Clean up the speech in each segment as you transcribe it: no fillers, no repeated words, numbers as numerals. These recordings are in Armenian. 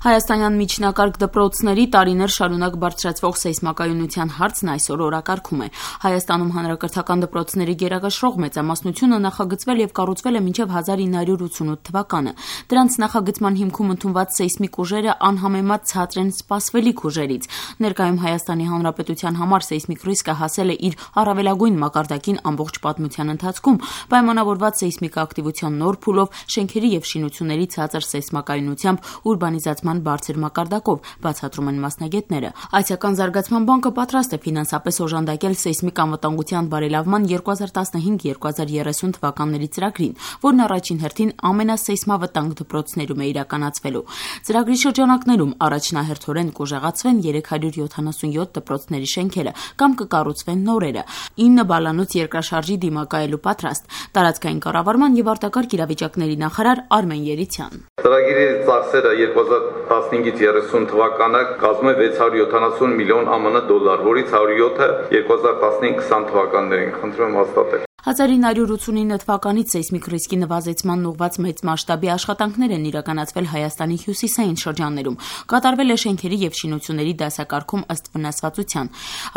Հայաստանյան միջնակարգ դպրոցների տարիներ շարունակ բարձրացվող սեյսմակայունության հարցն այսօր օրակարգում է։ Հայաստանում հանրակրթական դպրոցների գերակշռող մեծամասնությունը նախագծվել եւ կառուցվել է մինչեւ 1988 թվականը։ Դրանց նախագծման հիմքում ընդունված սեյսմիկ ուժերը անհամեմատ ցածր են սպասվելիք ուժերից։ Ներկայում Հայաստանի Հանրապետության համար սեյսմիկ ռիսկը հասել է իր առավելագույն մակարդակին ամբողջ պատմության ընթացքում, պայմանավորված սեյսմիկ ակտիվության նոր փուլով, շենքերի եւ շինությունների ցածր սեյսմակայունությամբ, ուրբանիզացման բարձր մակարդակով, բացատրում են մասնագետները։ Այսիական զարգացման բանկը պատրաստ է ֆինանսապես օժանդակել սեյսմիկ անվտանգության բարելավման 2015-2030 թվականների ծրագրին, որն առաջին հերթին ամենասեյսմավտանգ դպրոցներում է իրականացվելու։ Ծրագրի շրջանակներում առաջնահերթորեն կուժեղացվեն 377 դպրոցների շենքերը կամ կկառուցվեն նորերը։ 9 բալանոց երկրաշարժի դիմակայելու պատրաստ տարածքային կառավարման եւ արտակարգ իրավիճակների նախարար Արմեն Երիցյան։ Ծրագրի ծախսերը 2015-30 թվականը կազմում է 670 միլիոն ԱՄՆ դոլար, որից 107-ը 2015-20 թվականներին։ Խնդրում եմ հաստատել։ 1989 թվականից սեյսմիկ ռիսկի նվազեցման ուղղված մեծ մասշտաբի աշխատանքներ են իրականացվել Հայաստանի հյուսիսային շրջաններում։ Կատարվել է շենքերի եւ շինությունների դասակարգում ըստ վնասվածության,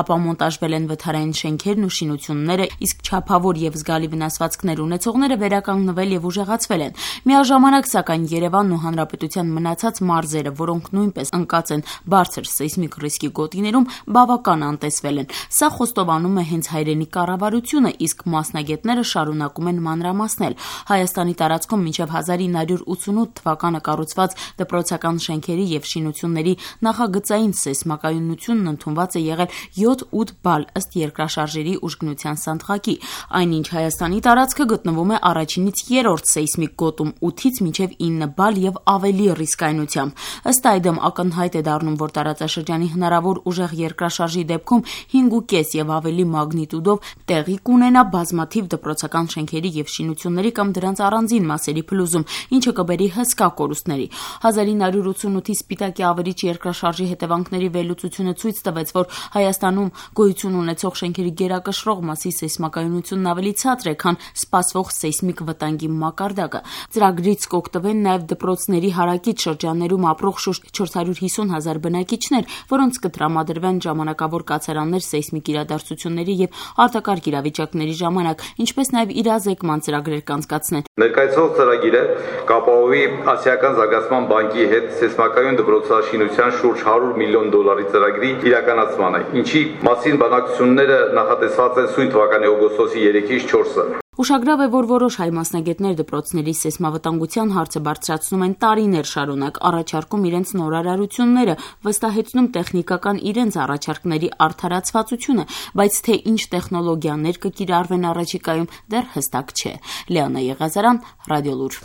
ապա մոնտաժվել են վթարային շենքերն ու շինությունները, իսկ չափավոր եւ զգալի վնասվածքներ ունեցողները վերականգնվել եւ ուժեղացվել են։ Միաժամանակ, սակայն, Երևանն ու Հանրապետության մնացած մարզերը, որոնք նույնպես ընկած են բարձր սեյսմիկ ռիսկի գոտիներում, բավական անտեսվել են։ Սա խոստովանում է հենց հայրենի կառավարությունը, իսկ մասնագետները շարունակում են մանրամասնել։ Հայաստանի տարածքում մինչև 1988 թվականը կառուցված դպրոցական շենքերի եւ շինությունների նախագծային սեյսմակայունությունն ընդունված է եղել 7-8 բալ ըստ երկրաշարժերի ուժգնության սանդղակի, այնինչ Հայաստանի տարածքը գտնվում է առաջինից երրորդ սեյսմիկ գոտում 8-ից մինչև 9 բալ եւ ավելի ռիսկայնությամբ։ Ըստ այդմ ակնհայտ է դառնում, որ տարածաշրջանի հնարավոր ուժեղ երկրաշարժի դեպքում 5.5 եւ ավելի մագնիտուդով տեղի կունենա բազմաթիվ դպրոցական շենքերի եւ շինությունների կամ դրանց առանձին մասերի փլուզում, ինչը կբերի հսկա կորուստների։ 1988-ի Սպիտակի ավերիչ երկրաշարժի հետևանքների վերլուծությունը ցույց տվեց, որ Հայաստանում գոյություն ունեցող շենքերի գերակշռող մասի սեյսմակայունությունն ավելի ցածր է, քան սպասվող սեյսմիկ վտանգի մակարդակը։ Ծրագրից կօգտվեն նաեւ դպրոցների հարակից շրջաններում ապրող շուրջ 450,000 բնակիչներ, որոնց կտրամադրվեն ժամանակավոր կացարաններ սեյսմիկ իրադարձությունների եւ արտակարգ իրավիճակների ժամանակ, ինչպես նաեւ իրազեկման ծրագրեր կանցկացնեն։ Ներկայացվող ծրագիրը կապահովի Ասիական զարգացման բանկի հետ սեյսմակայուն դպրոցաշինության շուրջ 100 միլիոն դոլարի ծրագրի իրականացմանը, ինչի մասին բանակցությունները նախատեսված են սույն թվականի օգոստոսի 3-ից 4-ը։ Ուշագրավ է, որ որոշ հայ մասնագետներ դպրոցների սեյսմավտանգության հարցը բարձրացնում են տարիներ շարունակ, առաջարկում իրենց նորարարությունները, վստահեցնում տեխնիկական իրենց առաջարկների արդարացվածությունը, բայց թե ինչ տեխնոլոգիաներ կկիրառվեն առաջիկայում, դեռ հստակ չէ։ Լիանա Եղազարյան, Ռադիոլուր։